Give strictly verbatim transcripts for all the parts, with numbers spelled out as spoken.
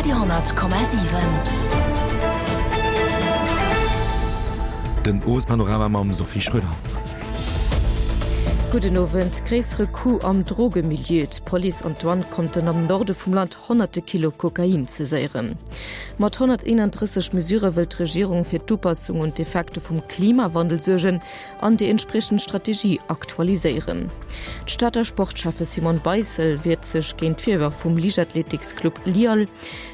Radio honnert Komma siwen. Den Owespanorama mam Sophie Schröder. Gudden Owend. Gréissere Coup am Drogemilieu, D'Police an d'Douane konnten am Norde vum Land honnerte Kilo Kokain saiséieren. Mat honnerteenanddrësseg Mesure wëll d'Regierung fir d'Upassung un d'Effekte vum Klimawandel suergen an déi entspriechend Strategie aktualiséieren. D'Stater Sportscheffe Simone Beissel wiert sech géint d'Virwërf vum Liichtathletiksclub LIAL.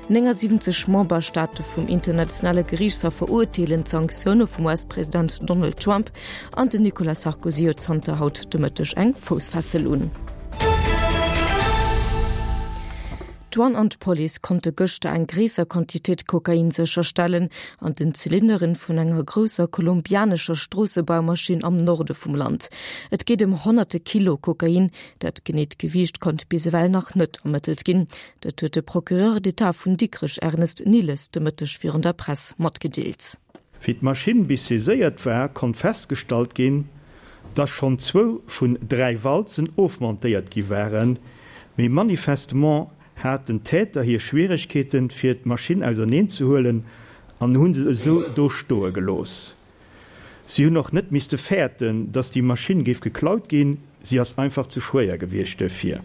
néngasiwwenzeg Memberstaate vum Internationale Geriichtshaff verurteelen d'Sanktioune vum U S-President Donald Trump an den Nicolas Sarkozy huet zanter haut de Mëtteg eng Foussfessel un. D'Douane an d'Police konnte gëschter eng gréisser Quantitéit Kokain sécherstellen an den Zylinderen vun enger grousser kolumbianescher Stroossebaumaschinn am Norde vum Land. Et geet ëm honnerte Kilo Kokain, dat geneet Gewiicht konnt bis ewell nach net ermëttelt ginn. Dat huet de Procureur d'État vun Dikrech Ernest Nilles de Mëtteg virun der Press matgedeelt. Wéi d'Maschinn bis saiséiert war, konnt festgestallt ginn, dass schonn zwou vun dräi Walzen ofmontéiert gi waren, mee manifestement haten d'Täter hir Schwieregkeeten, fir d'Maschinn auserneenzehuelen an hu se esou do stoe gelooss. Si hunn och net misste fäerten, dass déi Maschinn géif geklaut ginn, si ass einfach ze schwéier gewiescht duerfir.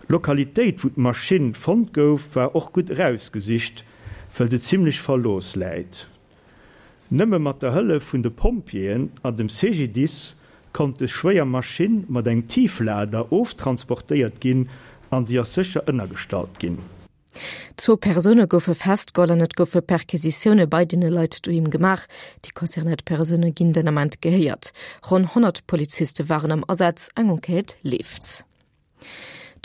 D'Lokalitéit, wou d'Maschinn fonnt gouf, war och gutt erausgesicht, wëll se zimmlech verlooss läit. Nëmme mat der Hëllef vun de Pompjeeën an dem C G D I S konnt des schwéier Maschinn mat engem Tieflader oftransportéiert ginn an si ass sécher ënnergestallt ginn. Zwou Persoune goufe festgeholl an et goufe Perquisitioune bei deene Leit doheem gemaach. Déi concernéiert Persoune ginn den Ament gehéiert. Ronn honnert Poliziste waren am Asaz, eng Enquête leeft.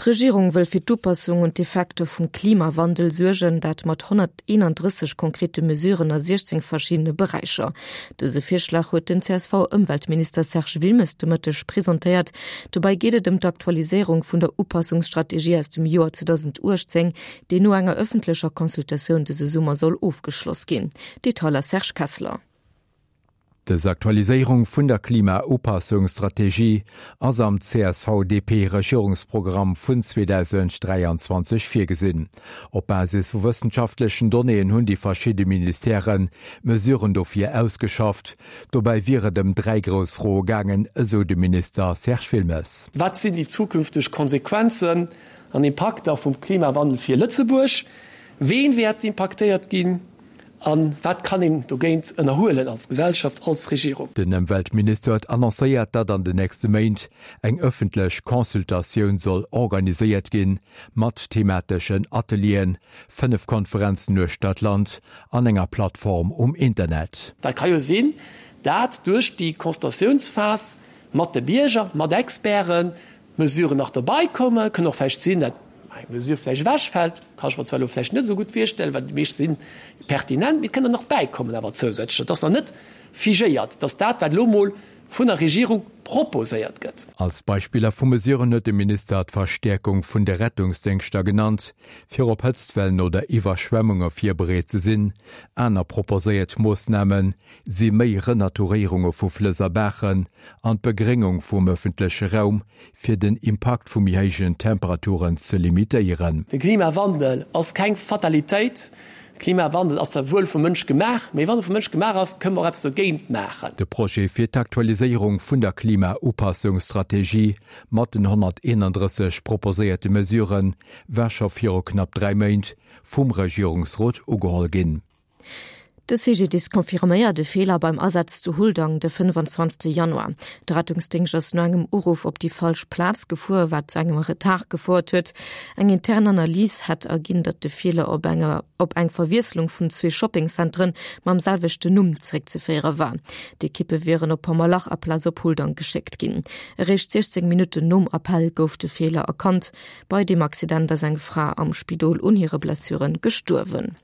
D'Regierung wëll fir d'Upassung un d'Effekter vum Klimawandel suergen, dat mat honnerteenanddrësseg konkrete Mesuren a siechzéng verschiddene Beräicher. Dëse Virschlag huet den C S V-Ëmweltminister Serge Wilmes de Mëtteg presentéiert. Dobäi geet et ëm d'Aktualiséierung vun der Upassungsstrategie aus dem Joer zweedausenduechtzéng, déi no enger ëffentlecher Consultatioun dëse Summer soll ofgeschloss ginn. Detailer Serge Kessler. Dës Aktualiséierung vun der Klimaupassungsstrategie ass am C S V D P-Regierungsprogramm vun zweedausenddräianzwanzeg virgesinn. Op Basis vu wëssenschaftlechen Donnéeën hunn déi verschidde Ministèren Mesuren dofir ausgeschafft. Dobäi wier et ëm dräi grouss Froe gaangen, esou de Minister Serge Wilmes. Wat sinn déi zukünfteg Konsequenzen an Impakter vum Klimawandel fir Lëtzebuerg? Ween wäert impaktéiert ginn? A wat kann een dogéint ënnerhuelen als Gesellschaft, als Regierung? Den Ëmweltminister huet annoncéiert, datt an den nächste Méint eng ëffentlech Consultatioun soll organiséiert ginn, mat themateschen Atelieren, fënnef Konferenzen uechter d'Land an enger Plattform um Internet. Dat ka jo sinn, dat duerch déi Consultatiounsphas mat de Bierger, mat Experten, Mesuren nach dobäi kommen. Kënn och vläicht sinn, dat eng Mesure vläicht ewechfält, kann ech mer zwar elo vläicht net esou gutt virstellen, well déi meescht si pertinent, mee et kënn der nach bäikommen awer zousätzlecher. Et ass nach net figéiert, dass dat, wat elo mol vun der Regierung proposéiert gëtt. Als Beispiller vu Mesuren huet de Minister d'Verstäerkung vun de Rettungsdéngschter genannt, fir op Hëtztwellen oder Iwwerschwemmunge virbereet ze sinn. Aner proposéiert Moossname si méi Renaturéierunge vu Flëss a Baachen an d'Begréngung vum ëffentleche Raum, fir den Impakt vu méi héijen Temperaturen ze limitéieren. De Klimawandel ass keng Fatalitéit. Klimawandel ass zwar wuel vum Mënsch gemaach, mee wann e vum Mënsch gemaach ass, kënne mer och eppes dogéint maachen. De Projet fir d'Aktualiséierung vun der Klimaupassungsstrategie mat den honnerteenandrësseg proposéierte Mesurë war scho viru knapp dräi Méint vum Regierungsrot ugeholl ginn. De C G D I S confirméiert de Feeler beim Asaz zu Huldang de fënnefenzwanzegste Januar. De Rettungsdéngscht ass no engem Uruff op déi falsch Plaz gefuer, wat zu engem Retard gefouert huet. Eng intern Analys hätt erginn, datt de Feeler op enger op eng Verwiesslung vun zwee Shoppingzentren mam selwechten Numm zeréckzeféiere war. D'Ekippe wieren op Pommerlach aplaz op Huldang geschéckt ginn. Eréischt siechzéng Minutten nom Appell gouf de Feeler erkannt. Bei deem Accident ass eng Fra am Spidol un hire Blessuren gestuerwen.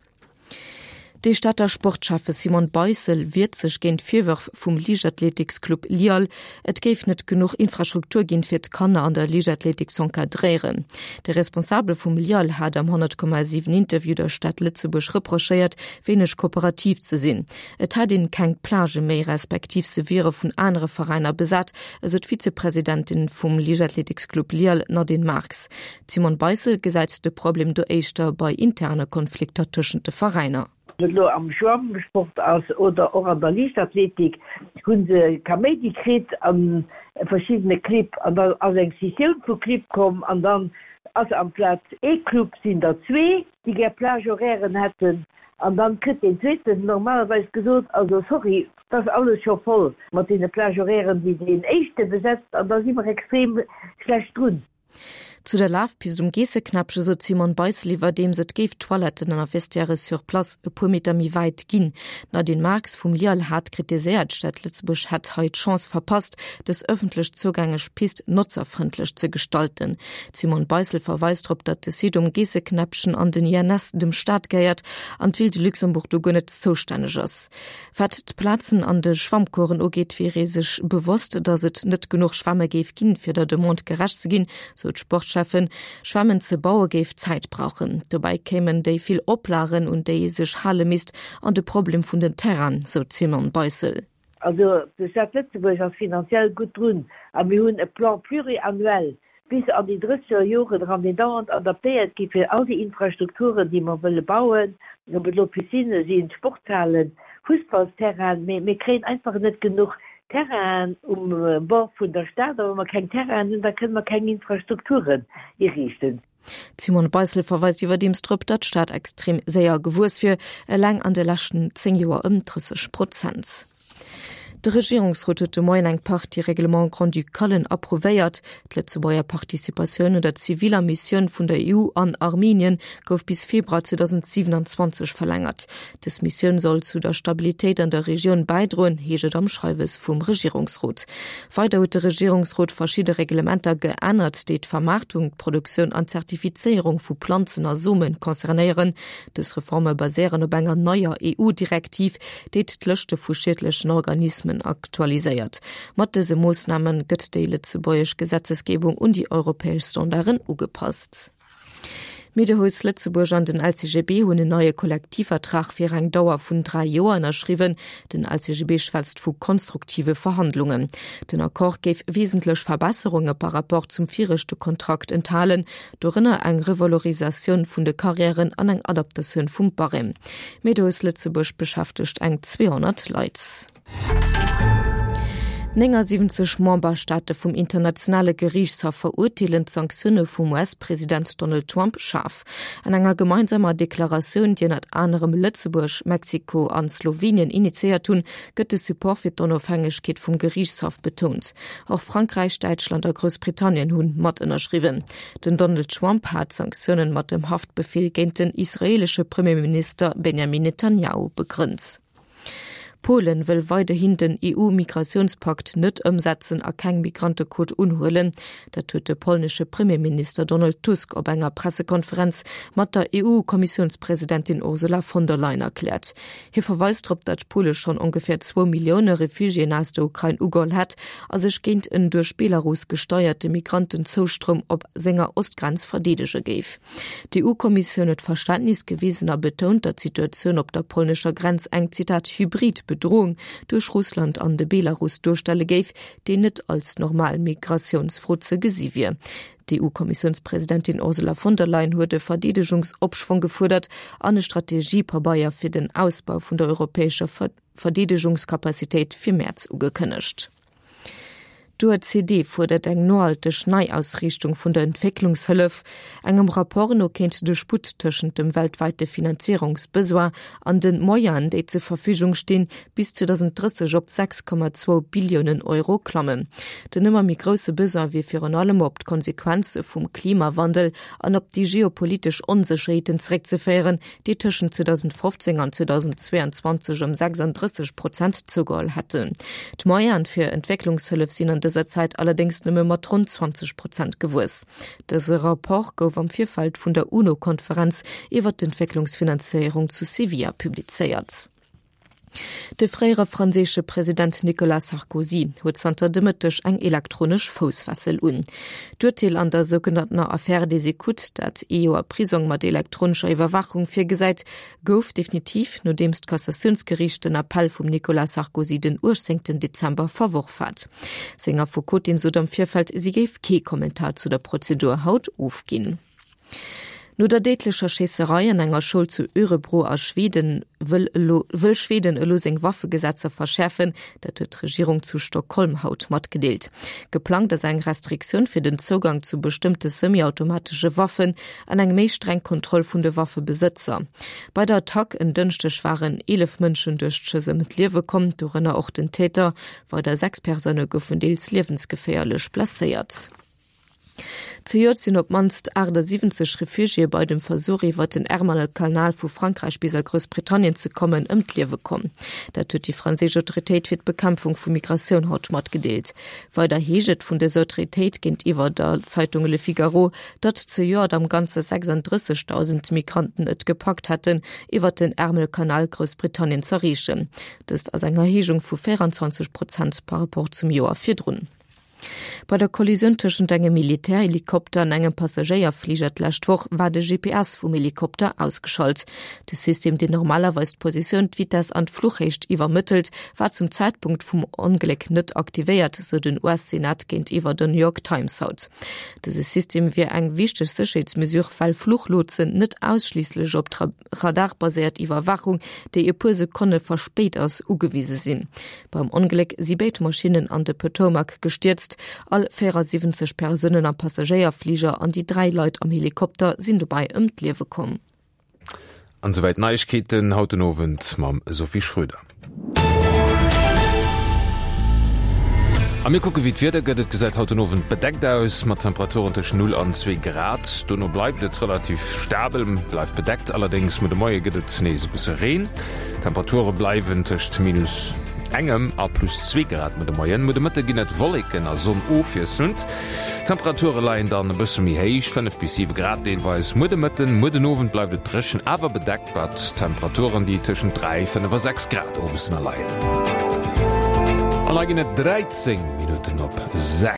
De Stater Sportschäffe Simone Beissel wiert sech géint Virwërf vum Liichtathletiksclub LIAL, et géif net genuch Infrastruktur ginn, fir d'Kanner an der Liichtathletik z'encadréieren. De Responsabele vum LIAL hat am honnert Komma siwen Interview der Stad Lëtzebuerg reprochéiert, wéineg kooperativ ze sinn. Et hätt een keng Plagë méi, respektiv se wiere vun anere Veräiner besat, esou d'Vizepresidentin vum Liichtathletiksclub LIAL Nadine Marx. D'Simone Beissel gesäit de Problem do éischter bei interne Konflikter tëschent de Veräiner. Ob et elo am Schwammsport ass oder och an der Liichtathletik, hu se Kaméidi kritt a verschiddene Clibb an da ass eng Scissioun vu Clibb komm an dann ass amplaz ee Club sinn der zwee, déi gär Plage-horairen hätten an dann kritt deen zweeten normalerweis gesot, also sorry, et ass alles scho voll mat deene Plage-horairen, déi deen éischte besetzt an da si mer extrem schlecht drun. Zu der Lafpist um Geesseknäppche sot d'Simone Beissel iwwerdeems, et géif Toiletten an a Vestiaire sur place e puer Meter méi wäit ginn. D'Nadine Marx vum LIAL hat kritiséiert, d'Stad Lëtzebuerg hätt hei d'Chance verpasst, dës ëffentlech zougänglech Pist notzerfrëndlech ze gestalten. D'Simone Beissel verweist drop, datt de Site um Geesseknäppchen an den I N S dem Staat gehéiert an d'Ville de Luxembourg do guer net zoustänneg ass. Wat d'Plazen an de Schwammcoursen ugeet, wier ee sech bewosst, datt et net genuch Schwämme géif ginn, fir der Demande gerecht ze ginn, sou d'Sportschäffen. Schwämmen ze baue géif Zäit brauchen. Dobäi kéimen déi vill Oplagen, un déi ee sech hale misst, an de Problem vun den Terrainen, sou d'Simone Beissel. Also d'Stad Lëtzebuerg ass finanziell gutt drun a mir hunn e Plan pluriannuel bis an déi drësseger Joren eran, deen dauernd adaptéiert gi fir all déi Infrastrukturen, déi mer wëlle bauen, ob et elo Piscinë sinn, Sportshalen, Fussballsterrainen, mee mir kréien einfach net genuch Terrainen um Bord vun der Stad. A wa mer keng Terrainen hunn, da kënne mer keng Infrastrukturen iriichten. D'Simone Beissel verweist iwwerdeems drop, datt d'Stad extrem séier gewuess wier, eleng an de leschten zéng Joer ëm drësseg Prozent. De Regierungsrot huet de Moien eng Partie Règlements grand-ducalen approuvéiert. D'Lëtzebuerger Participatioun un der ziviler Missioun vun der E U an Armenien gouf bis Februar zweedausendsiwenanzwanzeg verlängert. Dës Missioun soll zu der Stabilitéit an der Regioun bäidroen, heescht et am Schreiwes vum Regierungsrot. Weider huet de Regierungsrot verschidde Reglementer geännert, déi d'Vermaartung, d'Produktioun an d'Zertifizéierung vu Planzen a Some concernéieren. Dës Reforme baséieren op enger neier E U-Direktiv, déi d'Lëschte vu schiedlechen Organismen aktualiséiert. Mat dëse Moossname gëtt déi lëtzebuergesch Gesetzesgebung un déi europäesch Standarden ugepasst. D'Miedehues Lëtzebuerg an den L C G B hunn en neie Kollektivvertrag fir eng Dauer vun dräi Joer ënnerschriwwen. Den L C G B schwätzt vu konstruktive Verhandlungen. Den Accord géif wesentlech Verbesserunge par rapport zum viregte Kontrakt enthalen, dorënner eng Revalorisatioun vun de Karriären an eng Adaptatioun vum Barème. D'Miedehues Lëtzebuerg beschäftegt eng zweehonnert Leit. Néngasiwwenzeg Memberstaate vum Internationale Geriichtshaff verurteelen d'Sanktioune vum U S-President Donald Trump schaarf. An enger gemeinsamer Deklaratioun, déi ënnert anerem Lëtzebuerg, Mexiko an Slowenien initiéiert hunn, gëtt de Support fir d'Onofhängegkeet vum Geriichtshaff betount. Och Frankräich, Däitschland a Groussbritannien hunn mat ënnerschriwwen. Den Donald Trump hat d'Sanktioune mat dem Haftbefeel géint den israeelesche Premierminister Benjamin Netanjahu begrënnt. Polen wëll weiderhin den E U-Migratiounspakt net ëmsetzen a keng Migrantequot unhuelen. Dat huet de polnesche Premierminister Donald Tusk op enger Pressekonferenz mat der E U-Kommissiounspresidentin Ursula von der Leyen erkläert. Hie verweist drop, datt Pole schonn ongeféier zwou Millioune Refugiéen aus der Ukrain ugeholl hätt a sech géint en duerch Belarus gesteierte Migrantenzoustroum op senger Ostgrenz verdeedege géif. D'E U-Kommissioun huet Verständnis gewisen a betount, datt d'Situatioun op der polnescher Grenz eng, Zitat, hybrid Bedroung duerch Russland an de Belarus duerstelle géif, déi net als normal Migratiounsfro ze gesi wier. D'E U-Kommissiounspresidentin Ursula von der Leyen huet e Verdeedegungsopschwong gefuerdert an e Strategiepabeier fir den Ausbau vun der europäescher Verdeedegungskapazitéit fir Mäerz ugekënnegt. D'O E C D fuerdert eng nohalteg Neiausriichtung vun der Entwécklungshëllef. Engem Rapport no kéint de Sputt tëschent dem weltwäite Finanzéierungsbesoin an de Moyenen, déi zur Verfügung stinn, bis zweedausendrësseg op sechs Komma zwou Billiounen Euro klammen. Den ëmmer méi grousse Besoin wier virun allem op d'Konsequenze vum Klimawandel an op déi geopolitesch Onsécherheeten zeréckzeféieren, déi tëschent zweedausendfofzéng an zweedausendzweeanzwanzeg ëm sechsanddrësseg Prozent zougeholl hätten. D'Moyene fir Entwécklungshëllef sinn an dëser Zäit allerdéngs nëmme mat ronn zwanzeg Prozent gewuess. Dëse Rapport gouf am Virfeld vun der UNO-Konferenz iwwer d'Entwécklungsfinanzéierung zu Sevilla publizéiert. De fréiere franséische President Nicolas Sarkozy huet zanter de Mëtteg eng elektronesch Foussfessel un. D'Urteel an der sougenanntener Affaire des écoutes, dat ee Joer Prisong mat elektronescher Iwwerwaachung virgesäit, gouf definitiv, nodeems d'Kassatiounsgeriicht den Appell vum Nicolas Sarkozy den uechtzéngten Dezember verworf hat. Seng Affekotin sot am Virfeld, si géif kee Kommentar zu der Prozedur haut ofginn. No der déidlecher Schéisserei an enger Schoul zu Örebro a Schweden wëll elo wëll Schweden elo seng Waffegesetzer verschäerfen. Dat huet d'Regierung zu Stockholm haut matgedeelt. Geplangt ass eng Restriktioun fir den Zougang zu bestëmmte semi-automatesche Waffen an eng méi streng Kontroll vun de Waffebesëtzer. Bei der Attack en Dënschdeg waren eelef Mënschen duerch d'Schëss ëm d'Liewe komm, dorënner och den Täter. Weider sechs Persoune goufen deels liewensgeféierlech blesséiert. Zejoert sinn op d'mannst achtasiwwenzeg Refugiéë bei dem Versuch iwwer den Ärmelkanal vu Frankräich bis a Groussbritannien ze kommen, ëm d'Liewe komm. Dat huet déi franséisch Autoritéit fir d'Bekämpfung vu Migratioun haut matgedeelt. Weider heescht et vun dëser Autoritéit géintiwwer der Zeitung Le Figaro, datt zejoert am Ganze sechsunddrëssegdausend Migranten et gepackt hätten, iwwer den Ärmelkanal Groussbritannien z'erreechen. Dëst ass eng Erhéijung vu véieranzwanzeg Prozent par rapport zum Joer virdrun. Bei der Kollisioun tëschent engem Militärhelikopter an engem Passagéierfliger d'lescht Woch war de G P S vum Helikopter ausgeschalt. De System, deen normalerweis d'Positioun, d'Vitess an d'Fluchhéicht iwwermëttelt, war zum Zäitpunkt vum Ongléck net aktivéiert, sou den U S-Senat géintiwwer der New York Times haut. Dëse System wier eng wichteg Sécherheetsmesure, well Fluchlotsen net ausschliisslech op radarbaséiert Iwwerwaachung, déi e puer Sekonne verspéit ass, ugewise sinn. Beim Ongléck si béid Maschinnen an de Potomac gestierzt. All véierasiwwenzeg Persounen am Passagéierfliger an déi dräi Leit am Helikopter sinn dobäi ëm d'Liewe komm. An souwäit d'Neiegkeeten haut den Owend mam Sophie Schröder. A mir kucke wéi d'Wieder gëtt. Et gesäit haut den Owend bedeckt aus, mat Temperaturen tëscht null an zwee Grad. Dono bleift et relativ stabel, bleift bedeckt, allerdéngs muer de Moie gëtt et nees e bësse Reen. D'Temperature bleiwen tëscht minus engem a plus zwee Grad muer de Moien. Muer de Mëtte ginn et Wolleken a Sonn ofwiesselnd. D'Temperature leien dann e bësse méi héich, fënnef bis siwe Grad deelweis muer de Mëtten. Muer den Owend bleift et dréchen, awer bedeckt, mat Temperaturen, déi tëschent dräi, fënnef a sechs Grad owes leien. An hei ginn et dräizéng Minutten op sechs.